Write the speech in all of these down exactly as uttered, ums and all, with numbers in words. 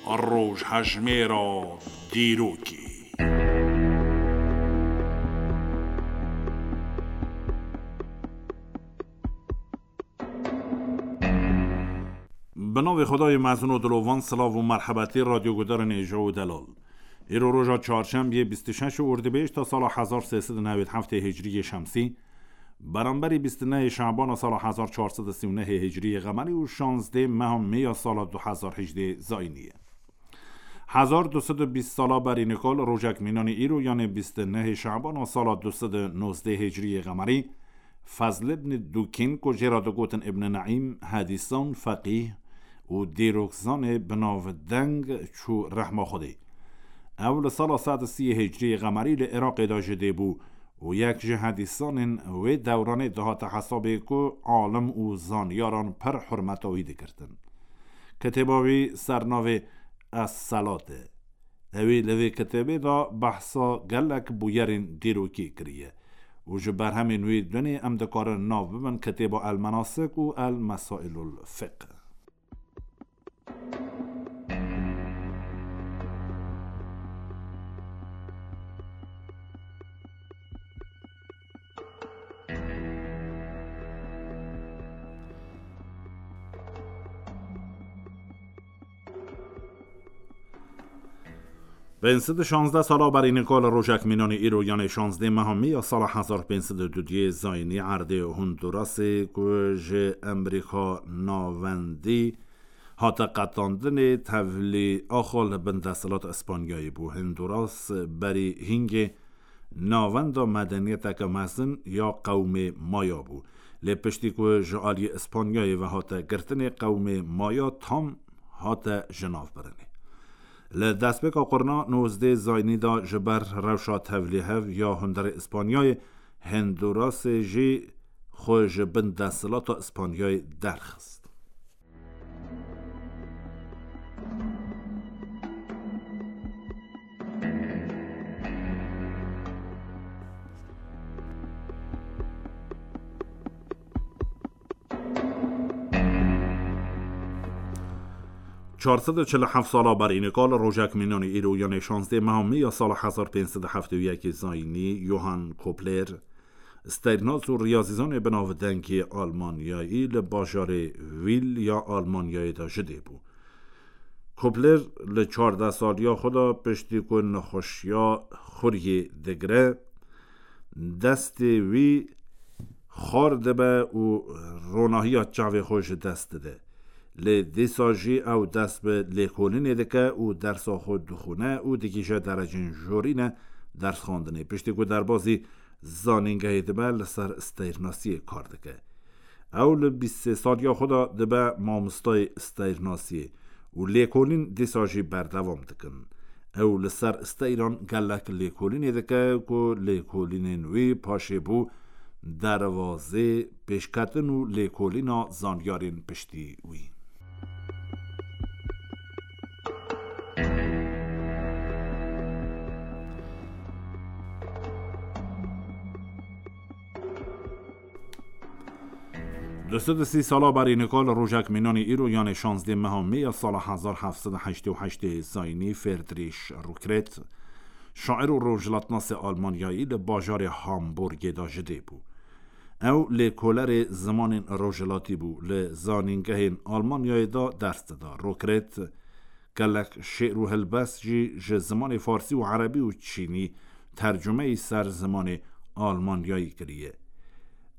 Rojhejmêra dîrokê. Bi navê Xwedayê mezin û dilovan, silav û merhebetî radyogudarên hêja û delal. Îro roja çarşembiyê bîst û şeş û Ordibêjta sala hezar sê sed û newêd heftê hicriyê şemsî, beramberî bîst û nehê Şabana sala hezar çar sed û sî û nehê hicriyê qemerî û şazdê meha Mê ya sala du hezar hejdê zayînî ye. Hezar du sed û bîst sala berî nikal rojek mînanî îro, yanê bîst û nehê Şabana sala du sed û nozdeh hicriyê qemerî, Fezl ibn Dukîn, ku jê re digotin Ibn Neîm, hedîsan, feqîh û dîrokzanê bi navdeng çû rehma Xwedê. Ew li sala sed û sî hicriyê qemerî li Iraqê de ji dê bû û yek ji hedîsanên wê dewranê dihate hesabê ku alim û zanyaran pir hurmeta wî digirtin. Kitêba wî sernavê Es-Selat e. Ewî li vê kitêbê de behsa gelek bûyerên dîrokî kiriye û ji berhemên wî dunê em dikarin nav bibin kitêba El-Menasik û El-Mesailul Fiqh. Pênc sed û şazdeh sala berî nikal rojek mînanî îro, yanê şazdeh meha Mê ya sala hezar pênc sed û dudiyê zayînî, erdê Hondurasê, ku ji Amerîka Navendî hate qetandinê, tevlî axa li bin desthilata Îspanyayê bû. Honduras berî hingê navenda medeniyeteke mezin ya qewmê Maya bû. Lê piştî ku ji aliyê Îspanyayê ve hate girtinê, qewmê Maya tam hate jinavbirinê. Li destpêka qurna nozdeh zayînî de ji ber rewşa tevlîhev ya hundirê Îspanyayê, Hondurasê jî xwe ji bin desthilata Îspanyayê derxist. Çar sed û çil û heft sala berî nikal rojek mînanî îro, yanê şazdeh meha Mê ya sala hezar pênc sed û heftê û yekê zayînî, Johann Kepler, steyrnas û riyazîzanê binavdengê Almanyayî li bajarê Wîl ya Almanyayê de ji dê bû. Kepler li çardeh saliya xwe de piştî ku nexweşiya xuriyê digire, destê wî xar dibe û ronahiya çavê xwe ji dest dide. Lê dîsa jî ew dest bi lêkolînê dike û dersa xwe dixwîne û digihîje derecên jorîne dersxwendinê. Piştî ku derbazî zanîngehê dibe, li ser steyrnasiyê kar dike. Ew li bîst sê saliya xwe de dibe mamostayê steyrnasiyê û lêkolîn dîsa jî berdewam dikin. Ew li ser steyran gelek lêkolînê dike ku lêkolînên wî paşê bû derbazê pêşketin û lêkolîna zanyarên piştî wî. Du sed û sî sala berî nika li rojek mînanî îro, yanê şazdeh meha Mê ya sala hezar heft sed û heştê û heştê zayînî, Friedrich Rückert, şair û rojhilatnasê Almanyayî, li bajarê Hamburgê de ji dê bû. Ew lêkolerê zimanên rojhilatî bû, li zanîngehên Almanyayê de ders dida. Rückert gelek şi'r û helbest jî ji zimanê farsî û erebî û çînî tercumeyî ser zimanê Almanyayî kiriye.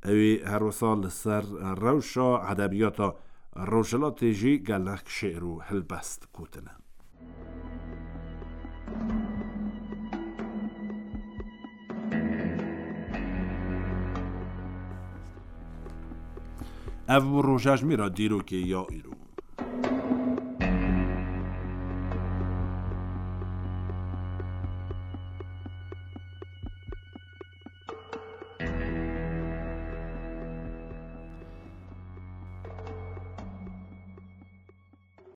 Ew ê her wisa li ser rewşa edebiyata rojhilatê jî gelek şi'r û helbest gotine. Ev bû rojejmêra dîrokê ya îro.